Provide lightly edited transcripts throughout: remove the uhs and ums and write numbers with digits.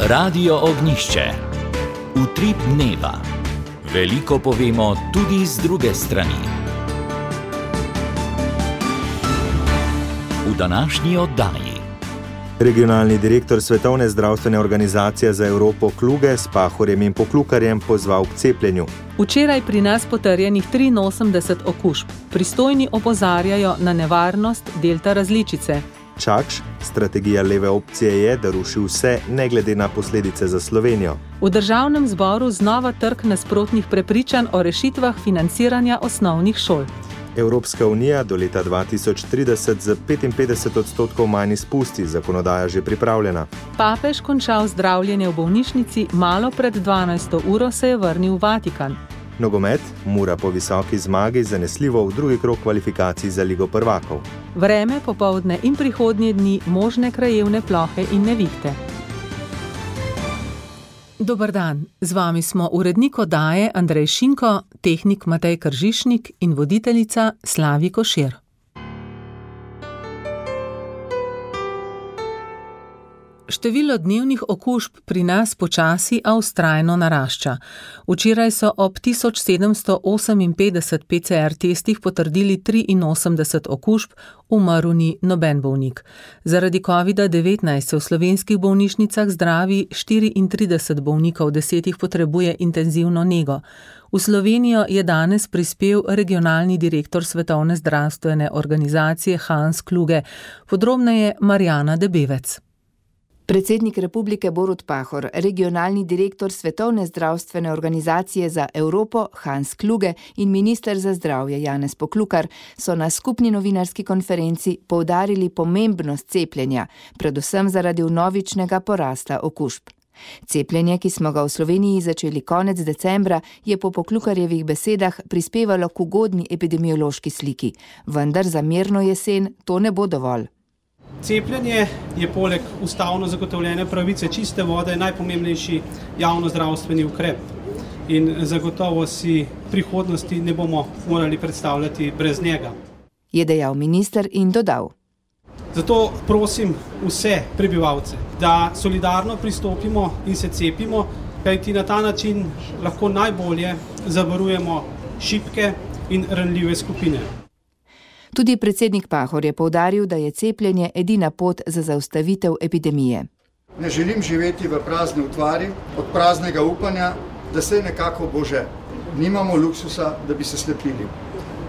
Radio Ognjišče. Utrip dneva. Veliko povemo tudi z druge strani. V današnji oddaji. Regionalni direktor Svetovne zdravstvene organizacije za Evropo Kluge s Pahorjem in Poklukarjem pozval k cepljenju. Včeraj pri nas potrjenih 83 okužb. Pristojni opozarjajo na nevarnost delta različice. Čakš, strategija leve opcije je, da ruši vse, ne glede na posledice za Slovenijo. V državnem zboru znova trk nasprotnih prepričanj o rešitvah financiranja osnovnih šol. Evropska unija do leta 2030 z 55% manj izpusti, zakonodaja že pripravljena. Papež končal zdravljenje v bolnišnici, malo pred 12. uro se je vrnil v Vatikan. Nogomet, Mura po visoki zmagi zanesljivo v drugi krog kvalifikacij za Ligo prvakov. Vreme, popoldne in prihodnje dni možne krajevne plohe in nevihte. Dober dan, z vami smo urednik oddaje Andrej Šinko, tehnik Matej Kržišnik in voditeljica Slavi Košir. Število dnevnih okužb pri nas počasi, a vztrajno narašča. Včeraj so ob 1758 PCR testih potrdili 83 okužb, umrl ni noben bolnik. Zaradi COVID-19 se v slovenskih bolnišnicah zdravi 34 bolnikov, 10 jih potrebuje intenzivno nego. V Slovenijo je danes prispel regionalni direktor Svetovne zdravstvene organizacije Hans Kluge, podrobneje Marjana Debevec. Predsednik Republike Borut Pahor, regionalni direktor Svetovne zdravstvene organizacije za Evropo Hans Kluge in minister za zdravje Janez Poklukar so na skupni novinarski konferenci poudarili pomembnost cepljenja, predvsem zaradi vnovičnega porasta okužb. Cepljenje, ki smo ga v Sloveniji začeli konec decembra, je po Poklukarjevih besedah prispevalo k ugodni epidemiološki sliki, vendar za mirno jesen to ne bo dovolj. Cepljenje je poleg ustavno zagotovljene pravice čiste vode najpomembnejši javnozdravstveni ukrep in zagotovo si prihodnosti ne bomo morali predstavljati brez njega. Je dejal minister in dodal. Zato prosim vse prebivalce, da solidarno pristopimo in se cepimo, kajti na ta način lahko najbolje zavarujemo šibke in ranljive skupine. Tudi predsednik Pahor je poudaril, da je cepljenje edina pot za zaustavitev epidemije. Ne želim živeti v prazni utvari, od praznega upanja, da se nekako bo že. Nimamo luksusa, da bi se slepili.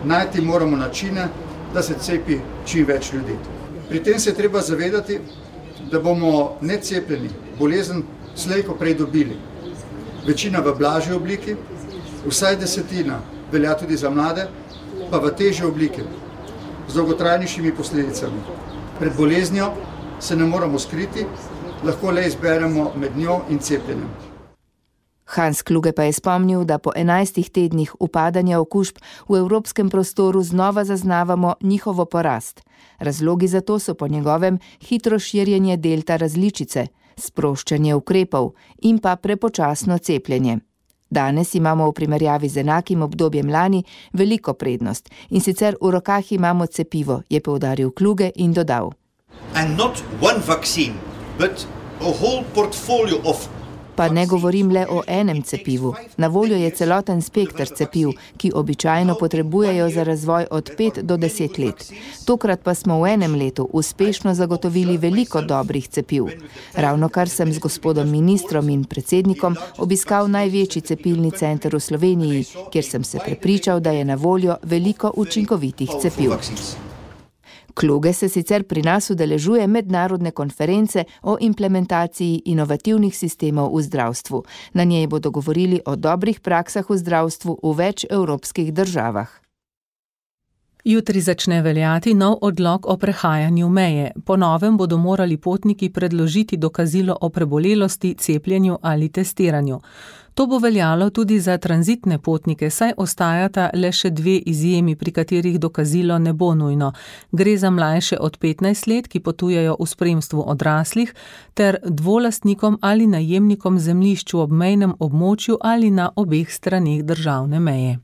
Najti moramo načine, da se cepi čim več ljudi. Pri tem se treba zavedati, da bomo necepljeni bolezen slej ko prej dobili. Večina v blažji obliki, vsaj 10% velja tudi za mlade, pa v težji obliki, z dolgotrajnejšimi posledicami. Pred boleznijo se ne moramo skriti, lahko le izberemo med njo in cepljenjem. Hans Kluge pa je spomnil, da po 11 tednih upadanja okužb v evropskem prostoru znova zaznavamo njihovo porast. Razlogi za to so po njegovem hitro širjenje delta različice, sproščanje ukrepov in pa prepočasno cepljenje. Danes imamo v primerjavi z enakim obdobjem lani veliko prednost in sicer v rokah imamo cepivo, je poudaril Kluge in dodal. And not one vaccine, but a whole portfolio of. Pa ne govorim le o enem cepivu. Na voljo je celoten spekter cepiv, ki običajno potrebujejo za razvoj od 5 do 10 let. Tokrat pa smo v enem letu uspešno zagotovili veliko dobrih cepiv. Ravnokar sem z gospodom ministrom in predsednikom obiskal največji cepilni center v Sloveniji, kjer sem se prepričal, da je na voljo veliko učinkovitih cepiv. Kluge se sicer pri nas udeležuje mednarodne konference o implementaciji inovativnih sistemov v zdravstvu. Na njej bodo govorili o dobrih praksah v zdravstvu v več evropskih državah. Jutri začne veljati nov odlok o prehajanju meje. Po novem bodo morali potniki predložiti dokazilo o prebolelosti, cepljenju ali testiranju. To bo veljalo tudi za tranzitne potnike, saj ostajata le še 2 izjemi, pri katerih dokazilo ne bo nujno. Gre za mlajše od 15 let, ki potujejo v spremstvu odraslih, ter dvolastnikom ali najemnikom zemljišč v obmejnem območju ali na obeh straneh državne meje.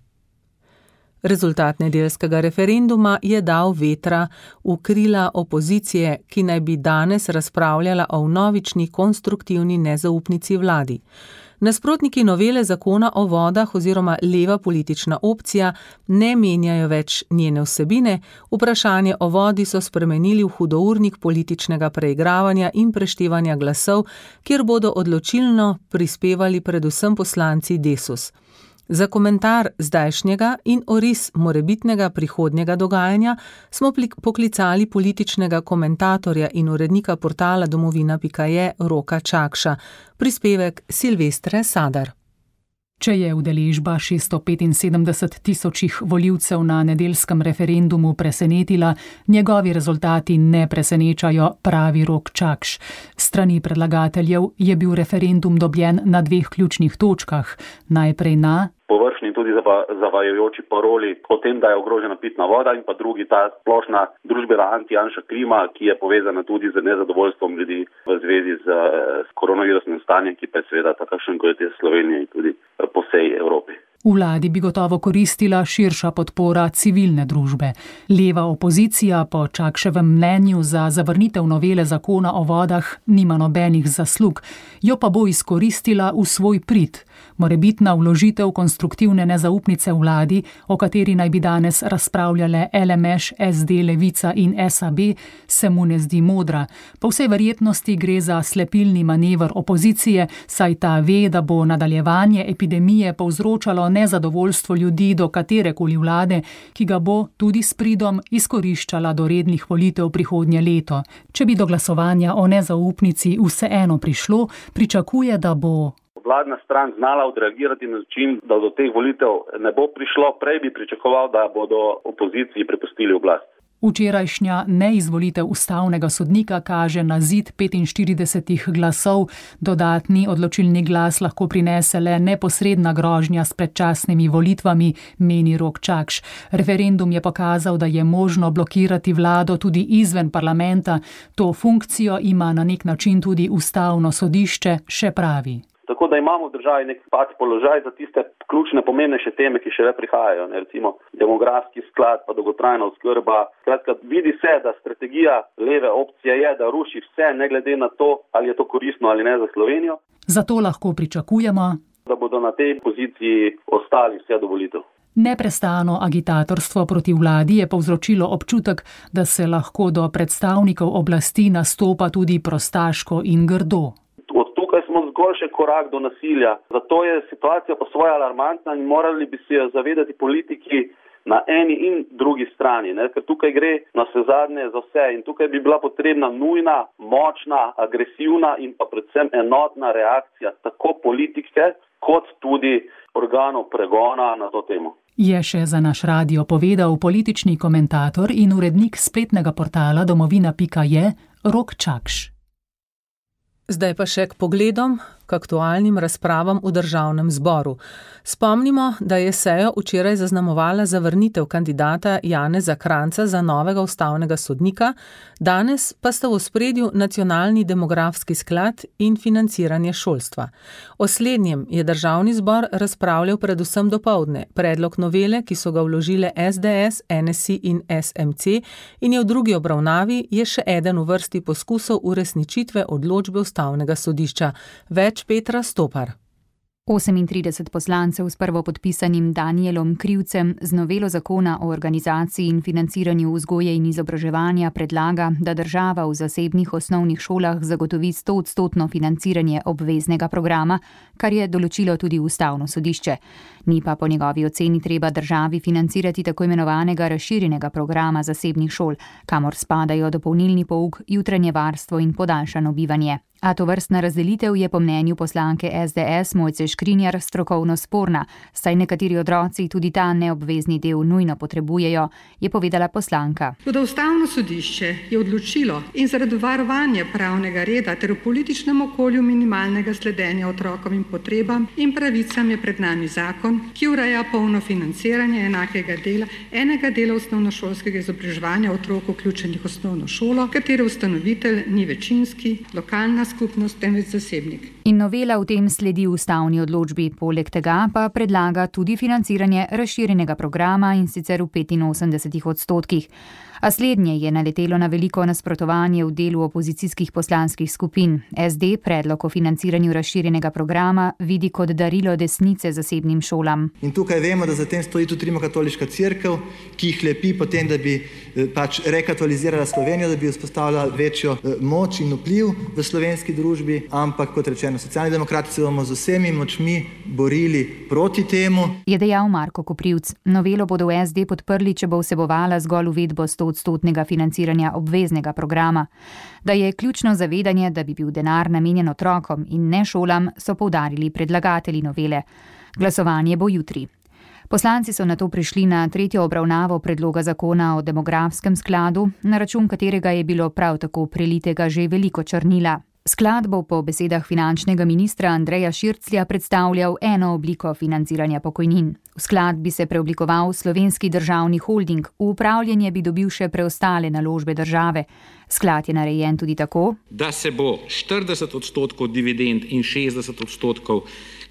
Rezultat nedeljskega referenduma je dal vetra v krila opozicije, ki naj bi danes razpravljala o vnovični konstruktivni nezaupnici vladi. Nasprotniki novele zakona o vodah oziroma leva politična opcija ne menjajo več njene vsebine, vprašanje o vodi so spremenili v hudournik političnega preigravanja in preštevanja glasov, kjer bodo odločilno prispevali predvsem poslanci Desus. Za komentar zdajšnjega in oris morebitnega prihodnjega dogajanja smo poklicali političnega komentatorja in urednika portala domovina.je Roka Čakša. Prispevek Silvestre Sadar. Če je udeležba 675 tisočih volivcev na nedeljskem referendumu presenetila, njegovi rezultati ne presenečajo, pravi Rok Čakš. Strani predlagateljev je bil referendum dobljen na 2 ključnih točkah. Najprej na površni in tudi zavajajoči paroli o tem, da je ogrožena pitna voda, in pa drugi ta splošna družbena anti-Janša klima, ki je povezana tudi z nezadovoljstvom ljudi v zvezi z koronavirusnim stanjem, ki pa je seveda takšen, kot je Slovenija in tudi po vsej Evropi. V vladi bi gotovo koristila širša podpora civilne družbe. Leva opozicija po Čakševem mnenju za zavrnitev novele zakona o vodah nima nobenih zaslug, jo pa bo izkoristila v svoj prid. Morebitna vložitev konstruktivne nezaupnice vladi, o kateri naj bi danes razpravljale LMŠ, SD, Levica in SAB, se mu ne zdi modra. Po vsej verjetnosti gre za slepilni manever opozicije, saj ta ve, da bo nadaljevanje epidemije povzročalo nezadovoljstvo ljudi do katerekoli vlade, ki ga bo tudi s pridom izkoriščala do rednih volitev prihodnje leto. Če bi do glasovanja o nezaupnici vseeno prišlo, pričakuje, da bo vladna stran znala odreagirati na način, da do teh volitev ne bo prišlo. Prej bi pričakoval, da bodo opoziciji prepustili oblast. Včerajšnja neizvolitev ustavnega sodnika kaže na zid 45 glasov. Dodatni odločilni glas lahko prinese le neposredna grožnja s predčasnimi volitvami, meni Rok Čakš. Referendum je pokazal, da je možno blokirati vlado tudi izven parlamenta. To funkcijo ima na nek način tudi ustavno sodišče, še pravi. Tako da imamo v državi nek položaj za tiste ključne, pomembnejše teme, ki še prihajajo, recimo demografski sklad, pa dolgotrajna oskrba. Skratka, vidi se, da strategija leve opcije je, da ruši vse, ne glede na to, ali je to koristno ali ne za Slovenijo. Zato lahko pričakujemo, da bodo na tej poziciji ostali vse do volitev. Neprestano agitatorstvo proti vladi je povzročilo občutek, da se lahko do predstavnikov oblasti nastopa tudi prostaško in grdo. Smo zgolj še korak do nasilja. Zato je situacija po svoje alarmantna in morali bi se jo zavedati politiki na eni in drugi strani, ne? Ker tukaj gre na vsezadnje za vse in tukaj bi bila potrebna nujna, močna, agresivna in pa predvsem enotna reakcija tako politike kot tudi organov pregona na to temo. Je še za naš radio povedal politični komentator in urednik spletnega portala domovina.je Rok Čakš. Zdaj pa še k pogledom, k aktualnim razpravam v državnem zboru. Spomnimo, da je sejo včeraj zaznamovala zavrnitev kandidata Janeza Kranjca za novega ustavnega sodnika, danes pa sta v ospredju nacionalni demografski sklad in financiranje šolstva. O slednjem je državni zbor razpravljal predvsem dopoldne. Predlog novele, ki so ga vložile SDS, NSI in SMC in je v drugi obravnavi, je še eden v vrsti poskusov uresničitve odločbe ustavnega sodišča. Več Petra Stopar. 38 poslancev s prvopodpisanim Danijelom Krivcem z novelo zakona o organizaciji in financiranju vzgoje in izobraževanja predlaga, da država v zasebnih osnovnih šolah zagotovi 100% financiranje obveznega programa, kar je določilo tudi ustavno sodišče. Ni pa po njegovi oceni treba državi financirati tako imenovanega razširjenega programa zasebnih šol, kamor spadajo dopolnilni pouk, jutranje varstvo in podaljšano bivanje. A tovrstna razdelitev je po mnenju poslanke SDS Mojce Škrinjar strokovno sporna, saj nekateri otroci tudi ta neobvezni del nujno potrebujejo, je povedala poslanka. Toda ustavno sodišče je odločilo in zaradi varovanja pravnega reda ter v političnem okolju minimalnega sledenja otrokovim potrebam in pravicam je pred nami zakon, ki ureja polno financiranje enega dela osnovnošolskega izobraževanja otrok vključenih v osnovno šolo, katere ustanovitelj ni večinski, lokalna skupnost, temveč zasebnik. In novela v tem sledi ustavni odločbi, poleg tega pa predlaga tudi financiranje razširjenega programa, in sicer v 85%. A slednje je naletelo na veliko nasprotovanje v delu opozicijskih poslanskih skupin. SD predlog o financiranju razširjenega programa vidi kot darilo desnice zasebnim šolam. In tukaj vemo, da za tem stoji tudi Rimokatoliška cerkev, ki jih lepi potem, da bi rekatolizirala Slovenijo, da bi vzpostavila večjo moč in vpliv v slovenski družbi, ampak kot rečeno, Socialni demokrati se bomo z vsemi močmi borili proti temu. Je dejal Marko Koprivc. Novelo bodo v SD podprli, če bo vsebovala zgolj uvedbo 100% financiranja obveznega programa. Da je ključno zavedanje, da bi bil denar namenjen otrokom in ne šolam, so poudarili predlagatelji novele. Glasovanje bo jutri. Poslanci so nato prišli na tretjo obravnavo predloga zakona o demografskem skladu, na račun katerega je bilo prav tako prelitega že veliko črnila. Sklad bo po besedah finančnega ministra Andreja Širclja predstavljal eno obliko financiranja pokojnin. V sklad bi se preoblikoval Slovenski državni holding, v upravljanje bi dobil še preostale naložbe države. Sklad je narejen tudi tako, da se bo 40% dividend in 60%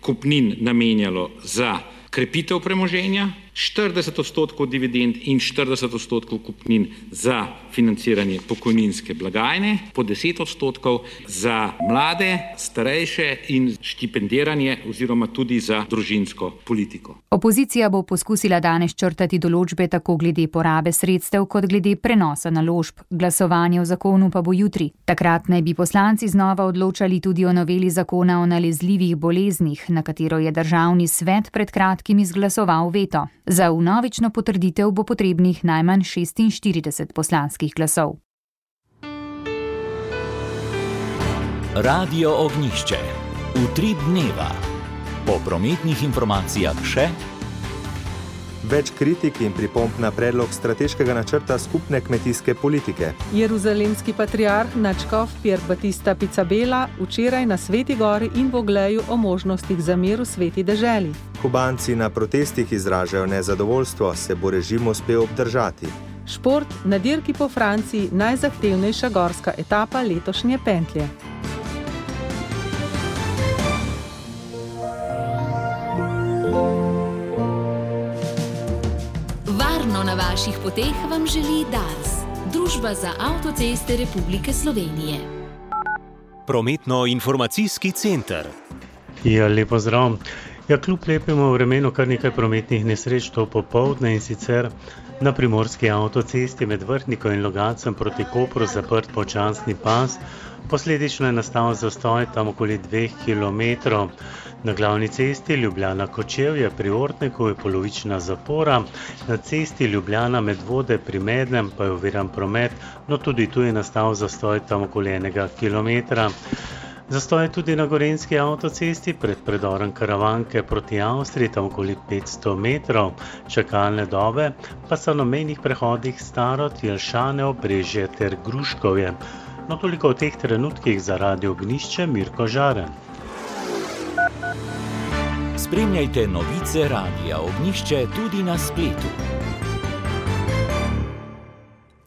kupnin namenjalo za krepitev premoženja, 40% dividend in 40% kupnin za financiranje pokojninske blagajne, po 10% za mlade, starejše in štipendiranje oziroma tudi za družinsko politiko. Opozicija bo poskusila danes črtati določbe tako glede porabe sredstev kot glede prenosa naložb. Glasovanje o zakonu pa bo jutri. Takrat naj bi poslanci znova odločali tudi o noveli zakona o nalezljivih boleznih, na katero je Državni svet pred kratkim izglasoval veto. Za vnovično potrditev bo potrebnih najmanj 46 poslanskih glasov. Radio Ognjišče. Utrip dneva. Po prometnih informacijah še več kritik in pripomb na predlog strateškega načrta skupne kmetijske politike. Jeruzalemski patriarh nadškof Pier Battista Pizzabela včeraj na Sveti gori in Bogleju o možnostih za mir v sveti deželi. Kubanci na protestih izražajo nezadovoljstvo, se bo režim uspel obdržati. Šport na dirki po Franciji, najzahtevnejša gorska etapa letošnje pentlje. Na vaših poteh vam želi Dars, Družba za avtoceste Republike Slovenije. Prometno-informacijski center. Ja, lepo zdrav. Ja, kljub lepemu vremenu kar nekaj prometnih nesreč to popoldne, in sicer na primorski avtocesti med Vrhniko in Logatcem proti Kopru zaprt počasni pas. Posledično je nastal zastoj tam okoli 2 kilometrov. Na glavni cesti Ljubljana-Kočevje pri Ortniku je polovična zapora, na cesti Ljubljana-Medvode pri Mednem pa je oviran promet, no tudi tu je nastal zastoj tam okoli 1 kilometra. Zastoj je tudi na gorenjski avtocesti pred predorom Karavanke proti Avstriji, tam okoli 500 metrov. Čakalne dobe pa so na mejnih prehodih Starod, Jelšane, Obrežje ter Gruškovje. No toliko v teh trenutkih za Radio Ognjišče, Mirko Žaren. Spremljajte novice Radia Ognjišče tudi na spletu.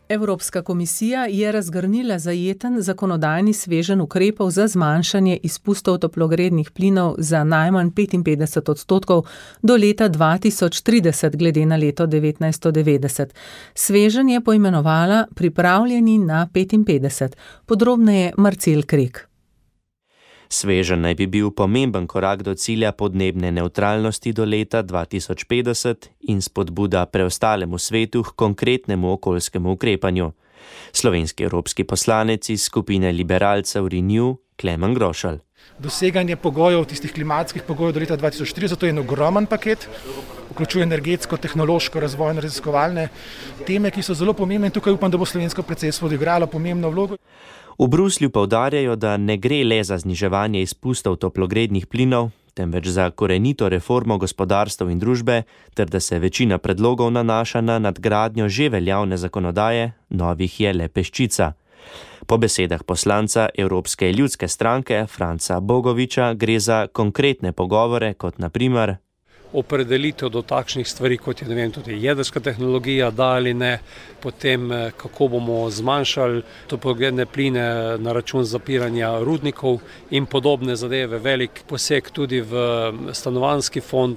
Evropska komisija je razgrnila zajeten zakonodajni sveženj ukrepov za zmanjšanje izpustov toplogrednih plinov za najmanj 55% do leta 2030 glede na leto 1990. Sveženj je poimenovala Pripravljeni na 55. Podrobneje Marcel Krek. Sveženj naj bi bil pomemben korak do cilja podnebne nevtralnosti do leta 2050 in spodbuda preostalemu svetu k konkretnemu okoljskemu ukrepanju. Slovenski evropski poslanec iz skupine liberalcev Renew, Klemen Grošelj. Doseganje pogojev, tistih klimatskih pogojev do leta 2030, to je en ogromen paket, vključuje energetsko, tehnološko, razvojno, raziskovalne teme, ki so zelo pomembne in tukaj upam, da bo slovensko predsedstvo odigralo pomembno vlogo. V Bruslju poudarjajo, da ne gre le za zniževanje izpustov toplogrednih plinov, temveč za korenito reformo gospodarstva in družbe, ter da se večina predlogov nanaša na nadgradnjo že veljavne zakonodaje, novih je le peščica. Po besedah poslanca Evropske ljudske stranke Franca Bogoviča gre za konkretne pogovore, kot na primer: opredelitev do takšnih stvari, kot je, ne vem, tudi jedrska tehnologija, da ali ne, potem kako bomo zmanjšali toplogredne pline na račun zapiranja rudnikov in podobne zadeve, velik poseg tudi v stanovanjski fond.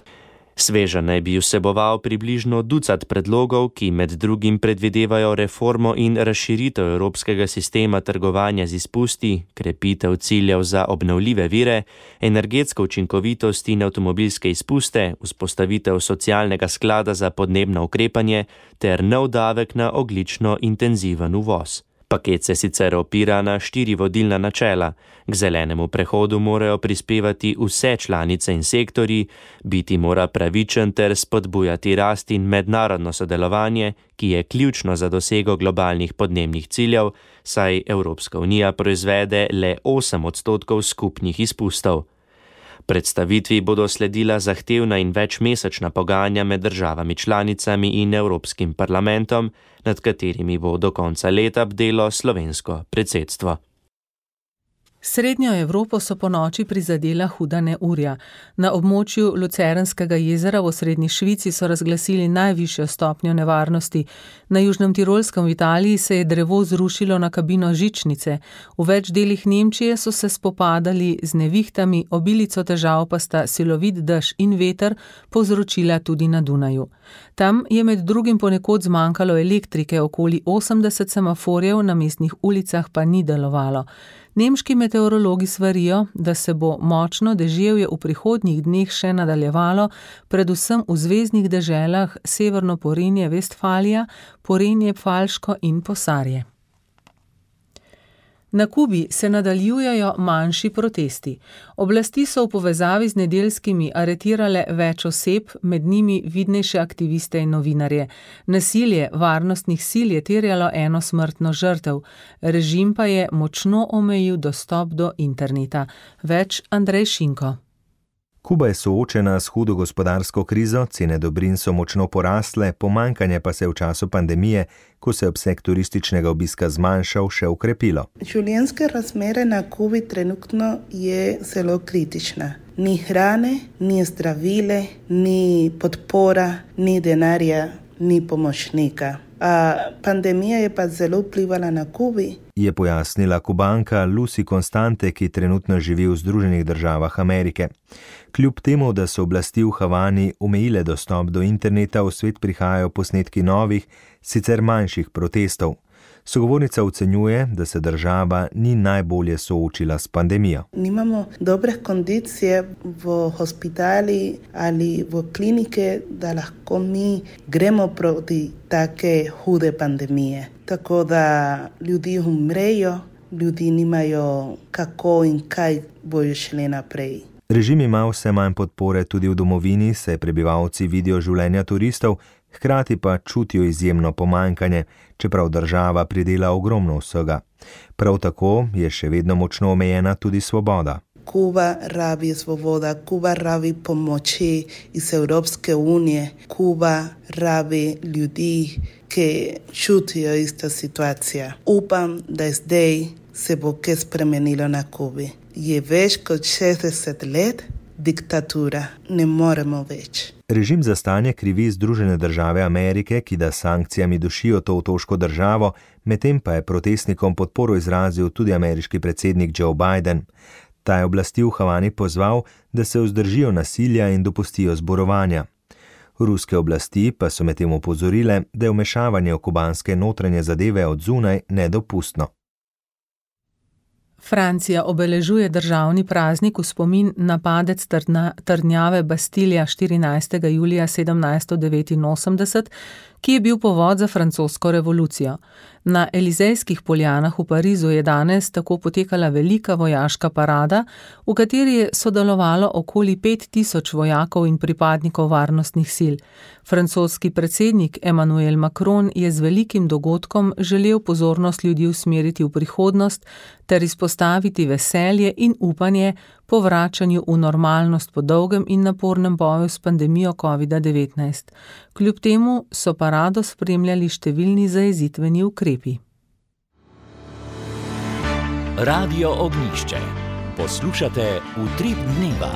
Sveža naj bi vseboval približno 20 predlogov, ki med drugim predvidevajo reformo in razširitev evropskega sistema trgovanja z izpusti, krepitev ciljev za obnovljive vire, energetsko učinkovitost in avtomobilske izpuste, vzpostavitev socialnega sklada za podnebno ukrepanje ter nov davek na ogljično intenziven uvoz. Paket se sicer opira na 4 vodilna načela. K zelenemu prehodu morajo prispevati vse članice in sektorji, biti mora pravičen ter spodbujati rast in mednarodno sodelovanje, ki je ključno za dosego globalnih podnebnih ciljev, saj Evropska unija proizvede le 8% skupnih izpustov. Predstavitvi bodo sledila zahtevna in večmesečna pogajanja med državami članicami in Evropskim parlamentom, nad katerimi bo do konca leta bdelo slovensko predsedstvo. Srednjo Evropo so ponoči prizadela huda neurja. Na območju Lucernskega jezera v osrednji Švici so razglasili najvišjo stopnjo nevarnosti. Na Južnem Tirolskem v Italiji se je drevo zrušilo na kabino žičnice. V več delih Nemčije so se spopadali z nevihtami, obilico težav pa sta silovit dež in veter povzročila tudi na Dunaju. Tam je med drugim ponekod zmanjkalo elektrike, okoli 80 semaforjev na mestnih ulicah pa ni delovalo. Nemški meteorologi svarijo, da se bo močno deževje v prihodnjih dneh še nadaljevalo, predvsem v zveznih deželah Severno Porenje, Vestfalija, Porenje, Pfalško in Posarje. Na Kubi se nadaljujejo manjši protesti. Oblasti so v povezavi z nedeljskimi aretirale več oseb, med njimi vidnejše aktiviste in novinarje. Nasilje varnostnih sil je terjalo 1 smrtno žrtev. Režim pa je močno omejil dostop do interneta. Več Andrej Šinko. Kuba je soočena s hudo gospodarsko krizo, cene dobrin so močno porasle, pomanjkanje pa se je v času pandemije, ko se je obseg turističnega obiska zmanjšal, še ukrepilo. Življenjske razmere na Kubi trenutno je zelo kritična. Ni hrane, ni zdravile, ni podpora, ni denarja, ni pomočnika. Pandemija je pa zelo vplivala na Kubi. Je pojasnila Kubanka Lucy Constante, ki trenutno živi v Združenih državah Amerike. Kljub temu, da so oblasti v Havani omejile dostop do interneta, v svet prihajajo posnetki novih, sicer manjših protestov. Sogovornica ocenjuje, da se država ni najbolje soočila s pandemijo. Nimamo dobre kondicije v hospitali ali v klinike, da lahko mi gremo proti take hude pandemije. Tako da ljudi umrejo, ljudi nimajo kako in kaj bojo šli naprej. Režim ima vse manj podpore tudi v domovini, saj prebivalci vidijo življenja turistov, hkrati pa čutijo izjemno pomanjkanje, čeprav država pridela ogromno vsega. Prav tako je še vedno močno omejena tudi svoboda. Kuba rabi svoboda, Kuba rabi pomoči iz Evropske unije, Kuba rabi ljudi, ki čutijo ista situacija. Upam, da zdaj se bo kaj spremenilo na Kubi. Je več kot 60 let diktatura, ne moremo več. Režim za stanje krivi Združene države Amerike, ki da sankcijami dušijo to otoško državo, medtem pa je protestnikom podporo izrazil tudi ameriški predsednik Joe Biden. Ta je oblasti v Havani pozval, da se vzdržijo nasilja in dopustijo zborovanja. Ruske oblasti pa so medtem opozorile, da je vmešavanje v kubanske notranje zadeve od zunaj nedopustno. Francija obeležuje državni praznik v spomin na padec trdnjave Bastilja 14. julija 1789, ki je bil povod za francosko revolucijo. Na Elizejskih poljanah v Parizu je danes tako potekala velika vojaška parada, v kateri je sodelovalo okoli 5000 vojakov in pripadnikov varnostnih sil. Francoski predsednik Emmanuel Macron je z velikim dogodkom želel pozornost ljudi usmeriti v prihodnost ter izpostaviti veselje in upanje po vračanju v normalnost po dolgem in napornem boju s pandemijo COVID-19. Kljub temu so parado spremljali številni zajezitveni ukrepi. Radio Ognjišče. Poslušate Utrip dneva.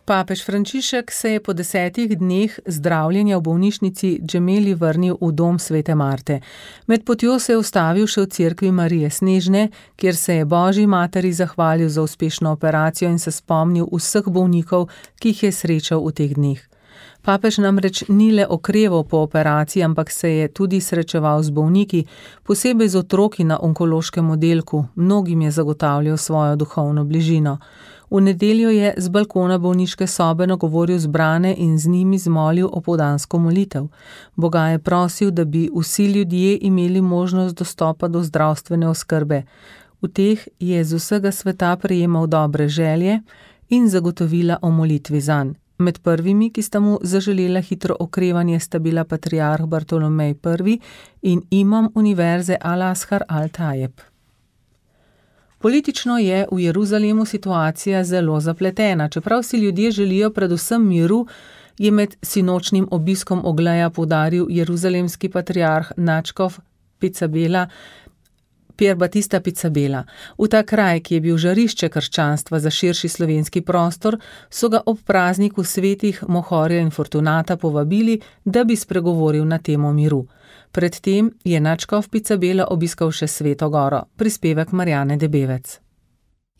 Papež Frančišek se je po 10 dneh zdravljenja v bolnišnici Gemelli vrnil v dom Svete Marte. Med potjo se je ustavil še v cerkvi Marije Snežne, kjer se je Božji materi zahvalil za uspešno operacijo in se spomnil vseh bolnikov, ki jih je srečal v teh dneh. Papež namreč ni le okreval po operaciji, ampak se je tudi srečeval z bolniki, posebej z otroki na onkološkem oddelku, mnogim je zagotavljal svojo duhovno bližino. V nedeljo je z balkona bolniške sobe nagovoril zbrane in z njimi zmolil opoldansko molitev. Boga je prosil, da bi vsi ljudje imeli možnost dostopa do zdravstvene oskrbe. V teh je z vsega sveta prejemal dobre želje in zagotovila o molitvi zanj. Med prvimi, ki sta mu zaželela hitro okrevanje, sta bila patriarh Bartolomej I in imam univerze Al-Azhar Al-Tajeb. Politično je v Jeruzalemu situacija zelo zapletena. Čeprav si ljudje želijo predvsem miru, je med sinočnim obiskom Ogleja poudaril jeruzalemski patriarh nadškof Pier Battista Pizzabela. V ta kraj, ki je bil žarišče krščanstva za širši slovenski prostor, so ga ob prazniku svetih Mohorja in Fortunata povabili, da bi spregovoril na temo miru. Predtem je nadškof Pizzabela obiskal še Sveto Goro, prispevek Marjane Debevec.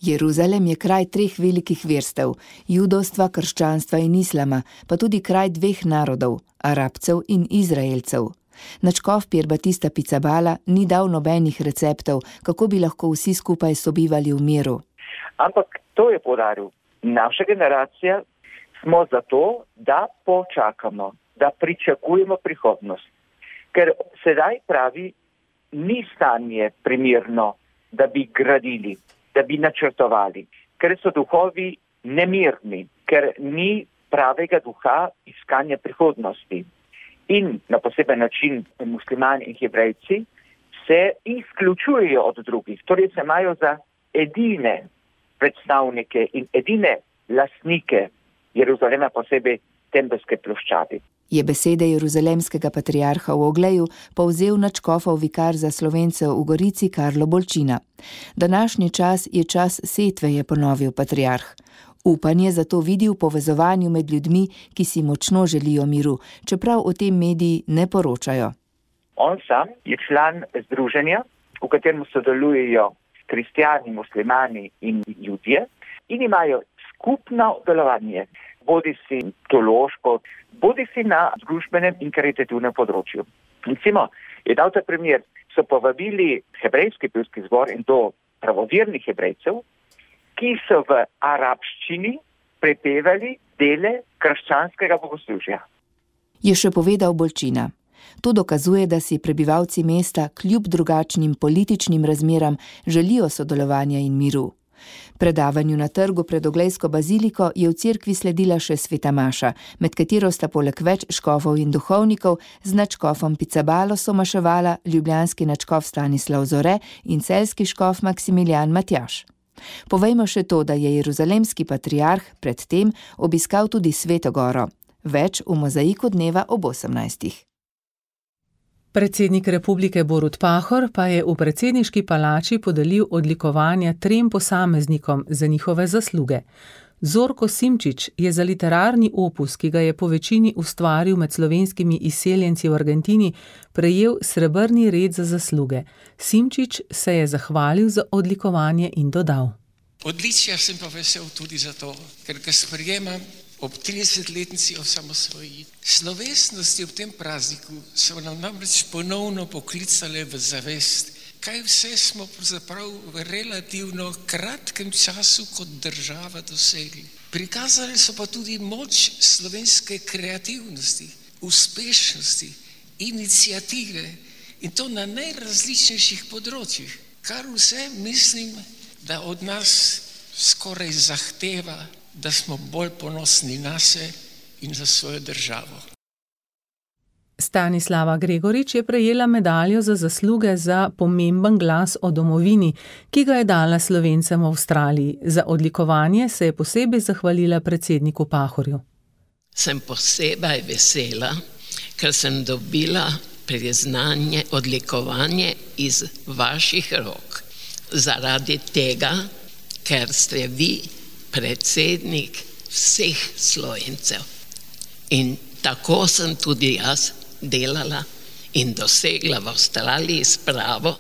Jeruzalem je kraj 3 velikih verstev, judovstva, krščanstva in islama, pa tudi kraj 2 narodov, Arabcev in Izraelcev. Nadškof Pier Battista Pizzabala ni dal nobenih receptov, kako bi lahko vsi skupaj sobivali v miru. Ampak to je poudaril. Naša generacija smo zato, da počakamo, da pričakujemo prihodnost. Ker sedaj pravi, ni stanje primerno, da bi gradili, da bi načrtovali, ker so duhovi nemirni, ker ni pravega duha iskanja prihodnosti. In na poseben način muslimani in hebrejci se izključujejo od drugih, torej se imajo za edine predstavnike in edine lastnike Jeruzalema, posebej Tempelske ploščadi. Je besede jeruzalemskega patriarha v Ogleju povzel nadškofov vikar za Slovence v Gorici Karlo Bolčina. Današnji čas je čas setve, je ponovil patriarh. Upanje zato vidi v povezovanju med ljudmi, ki si močno želijo miru, čeprav o tem mediji ne poročajo. On sam je član združenja, v katerem sodelujejo kristjani, muslimani in judje in imajo skupno delovanje, bodisi teološko, bodisi na družbenem in karitativnem področju. Recimo, je dal ta primer, so povabili hebrejski pevski zbor in to pravovernih hebrejcev, ki so v arabščini prepevali dele krščanskega bogoslužja. Je še povedal Bolčina. To dokazuje, da si prebivalci mesta kljub drugačnim političnim razmeram želijo sodelovanja in miru. Predavanju na trgu pred Oglejsko baziliko je v cerkvi sledila še sveta maša, med katero sta poleg več škofov in duhovnikov z nadškofom Pizzabalo somaševala ljubljanski nadškof Stanislav Zore in celjski škof Maksimilijan Matjaž. Povejmo še to, da je jeruzalemski patriarh predtem obiskal tudi Sveto Goro. Več v mozaiku dneva ob 18. Predsednik republike Borut Pahor pa je v predsedniški palači podelil odlikovanja 3 posameznikom za njihove zasluge. Zorko Simčič je za literarni opus, ki ga je po večini ustvaril med slovenskimi izseljenci v Argentini, prejel srebrni red za zasluge. Simčič se je zahvalil za odlikovanje in dodal: Odličja sem pa vesel tudi zato, ker ga sprejemam ob 30-letnici osamosvojitve. Slovesnosti ob tem prazniku so nam namreč ponovno poklicale v zavest, kaj vse smo pravzaprav v relativno kratkem času kot država dosegli. Prikazali so pa tudi moč slovenske kreativnosti, uspešnosti, iniciative in to na najrazličnejših področjih, kar vse mislim, da od nas skoraj zahteva, da smo bolj ponosni nase in za svojo državo. Stanislava Gregorič je prejela medaljo za zasluge za pomemben glas o domovini, ki ga je dala Slovencem v Avstraliji. Za odlikovanje se je posebej zahvalila predsedniku Pahorju. Sem posebej vesela, ker sem dobila priznanje, odlikovanje iz vaših rok. Zaradi tega, ker ste vi predsednik vseh Slovencev. In tako sem tudi jaz delala in dosegla v Avstraliji spravo.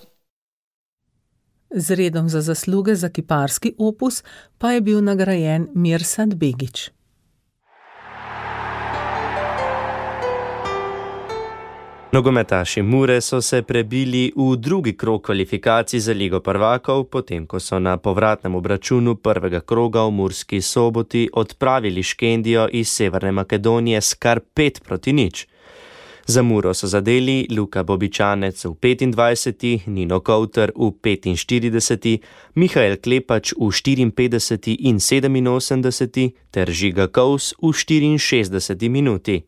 Z redom za zasluge za kiparski opus pa je bil nagrajen Mirsad Begić. Nogometaši Mure so se prebili v drugi krog kvalifikacij za Ligo prvakov, potem ko so na povratnem obračunu prvega kroga v Murski Soboti odpravili Škendijo iz Severne Makedonije s kar 5-0. Za Muro so zadeli Luka Bobičanec v 25., Nino Kouter v 45., Mihael Klepač v 54. in 87. ter Žiga Kous v 64. minuti.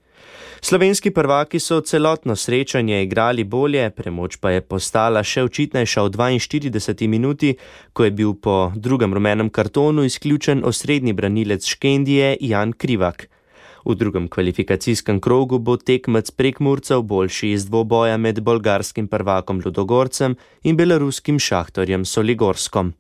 Slovenski prvaki so celotno srečanje igrali bolje, premoč pa je postala še očitnejša v 42. minuti, ko je bil po drugem rumenem kartonu izključen osrednji branilec Škendije Jan Krivak. V drugem kvalifikacijskem krogu bo tekmec Prekmurcev boljši iz dvoboja med bolgarskim prvakom Ludogorcem in beloruskim Šahtorjem Soligorskom.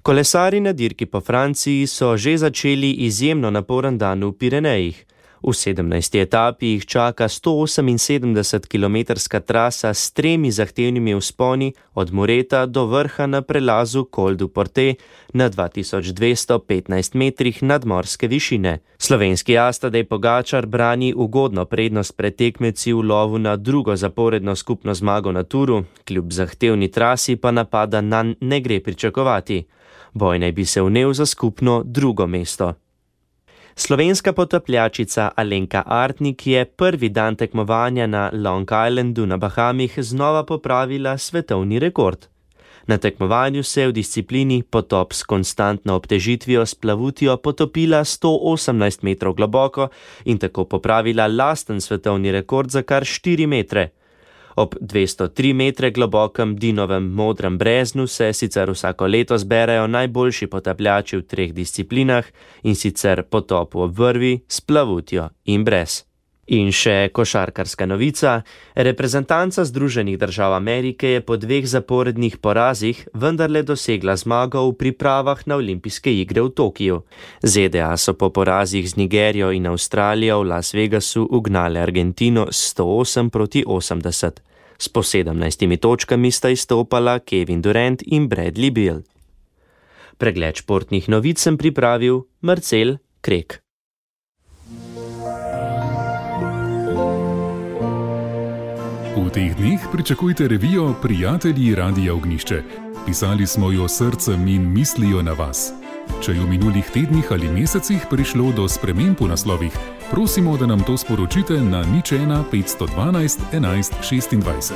Kolesarji na dirki po Franciji so že začeli izjemno naporen dan v Pirenejih. V 17. etapi jih čaka 178-kilometrska trasa s 3 zahtevnimi vzponi od Moreta do vrha na prelazu Col du Portet na 2215 metrih nadmorske višine. Slovenski as Tadej Pogačar brani ugodno prednost pred tekmeci v lovu na drugo zaporedno skupno zmago na Turu, kljub zahtevni trasi pa napada nanj ne gre pričakovati. Boj naj bi se vnel za skupno drugo mesto. Slovenska potapljačica Alenka Artnik je prvi dan tekmovanja na Long Islandu na Bahamih znova popravila svetovni rekord. Na tekmovanju se je v disciplini potop s konstantno obtežitvijo s plavutjo potopila 118 metrov globoko in tako popravila lasten svetovni rekord za kar 4 metre. Ob 203 metre globokem Dinovem modrem breznu se sicer vsako leto zberejo najboljši potapljači v 3 disciplinah, in sicer potopu ob vrvi, s plavutjo in brez. In še košarkarska novica. Reprezentanca Združenih držav Amerike je po 2 zaporednih porazih vendarle dosegla zmago v pripravah na olimpijske igre v Tokiju. ZDA so po porazih z Nigerijo in Avstralijo v Las Vegasu ugnale Argentino 108-80. S po 17 točkami sta izstopala Kevin Durant in Bradley Beal. Pregled športnih novic sem pripravil Marcel Krek. V teh dneh pričakujte revijo Prijatelji Radia Ognjišče. Pisali smo jo srcem in mislijo na vas. Če je v minulih tednih ali mesecih prišlo do sprememb v naslovih, prosimo, da nam to sporočite na 01 512 11 26.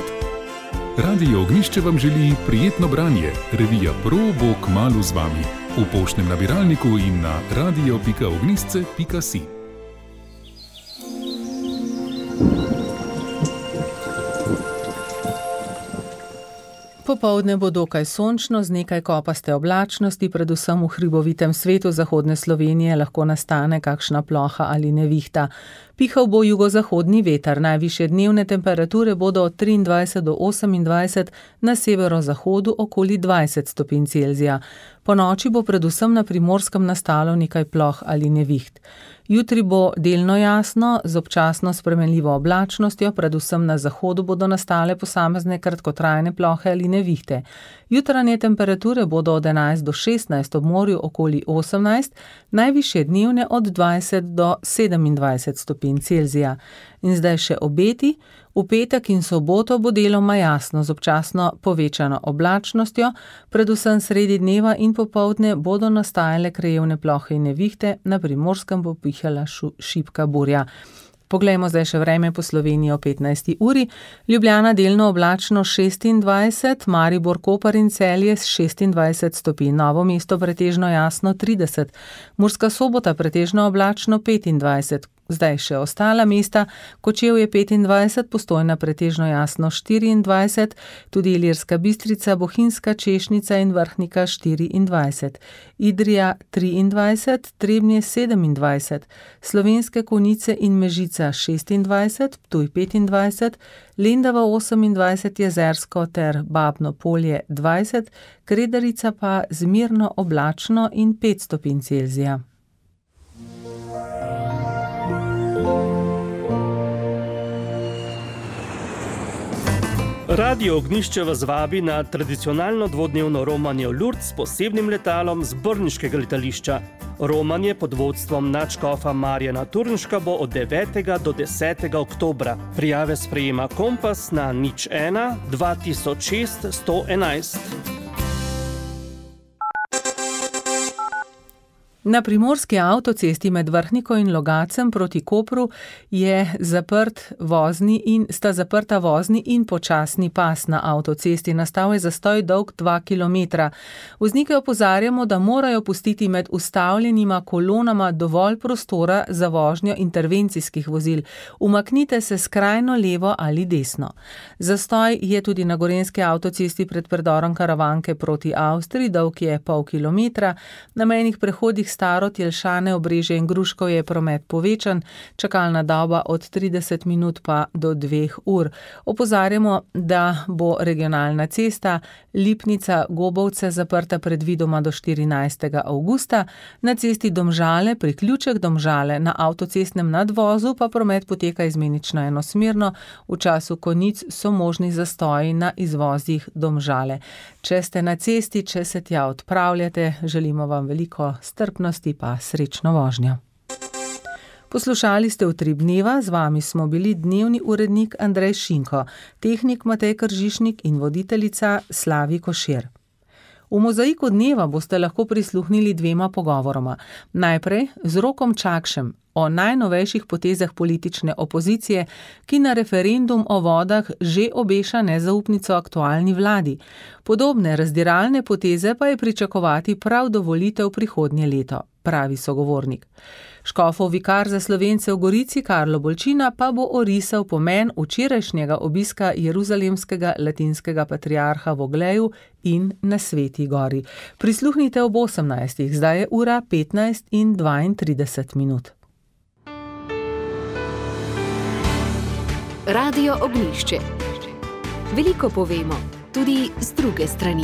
Radio Ognjišče vam želi prijetno branje. Revija Pro bo kmalu z vami. V poštnem nabiralniku in na radio.ognjisce.si. Popoldne bo dokaj sončno z nekaj kopaste oblačnosti, predvsem v hribovitem svetu zahodne Slovenije lahko nastane kakšna ploha ali nevihta. Pihal bo jugozahodni veter, najvišje dnevne temperature bodo od 23 do 28, na severozahodu okoli 20 stopinj Celzija. Po noči bo predvsem na Primorskem nastalo nekaj ploh ali neviht. Jutri bo delno jasno, z občasno spremenljivo oblačnostjo, predvsem na zahodu bodo nastale posamezne kratkotrajne plohe ali nevihte. Jutranje temperature bodo od 11 do 16, ob morju okoli 18, najvišje dnevne od 20 do 27 stopinj Celzija. In zdaj še obeti. V petek in soboto bo deloma jasno z občasno povečano oblačnostjo, predvsem sredi dneva in popoldne bodo nastajale krajevne plohe in nevihte, na Primorskem bo pihala šibka burja. Poglejmo zdaj še vreme po Sloveniji o 15. uri. Ljubljana delno oblačno 26, Maribor, Koper in Celje 26 stopinj, Novo mesto pretežno jasno 30, Murska Sobota pretežno oblačno 25, zdaj še ostala mesta, Kočevje 25, Postojna pretežno jasno 24, tudi Ilirska Bistrica, Bohinjska, Češnica in Vrhnika 24, Idrija 23, Trebnje 27, Slovenske Konjice in Mežica 26, Ptuj 25, Lendava 28, Jezersko ter Babno Polje 20, Kredarica pa zmerno oblačno in 5 stopinj Celzija. Radio Ognjišče vas vabi na tradicionalno dvodnevno romanje v Lourdes s posebnim letalom z brniškega letališča. Romanje pod vodstvom nadškofa Marjana Turnška bo od 9. do 10. oktobra. Prijave sprejema Kompas na 01 2006 111. Na primorski avtocesti med Vrhniko in Logacem proti Kopru sta zaprta vozni in počasni pas na avtocesti. Nastal je zastoj dolg 2 km. Voznike opozarjamo, da morajo pustiti med ustavljenima kolonama dovolj prostora za vožnjo intervencijskih vozil. Umaknite se skrajno levo ali desno. Zastoj je tudi na gorenjski avtocesti pred predorom Karavanke proti Avstriji, dolg je pol kilometra. Na mejnih prehodih Starod, Jelšane, Obrežje in Gruškov je promet povečan, čakalna doba od 30 minut pa do 2 ur. Opozarjamo, da bo regionalna cesta Lipnica-Gobovce zaprta predvidoma do 14. avgusta, na cesti Domžale, priključek Domžale, na avtocestnem nadvozu pa promet poteka izmenično enosmerno, v času konic so možni zastoji na izvozih Domžale. Če ste na cesti, če se tja odpravljate, želimo vam veliko strpnosti pa srečno vožnjo. Poslušali ste Utrip dneva, z vami smo bili dnevni urednik Andrej Šinko, tehnik Matej Kržišnik in voditeljica Slavi Košir. V Mozaiku dneva boste lahko prisluhnili 2 pogovoroma. Najprej z Rokom Čakšem o najnovejših potezah politične opozicije, ki na referendum o vodah že obeša nezaupnico aktualni vladi. Podobne razdiralne poteze pa je pričakovati prav do volitev prihodnje leto, pravi sogovornik. Škofov vikar za Slovence v Gorici Karlo Bolčina pa bo orisal pomen včerajšnjega obiska jeruzalemskega latinskega patriarha v Ogleju in na Sveti gori. Prisluhnite ob 18. Zdaj je ura 15:32 minut. Radio Ognjišče. Veliko povemo, tudi z druge strani.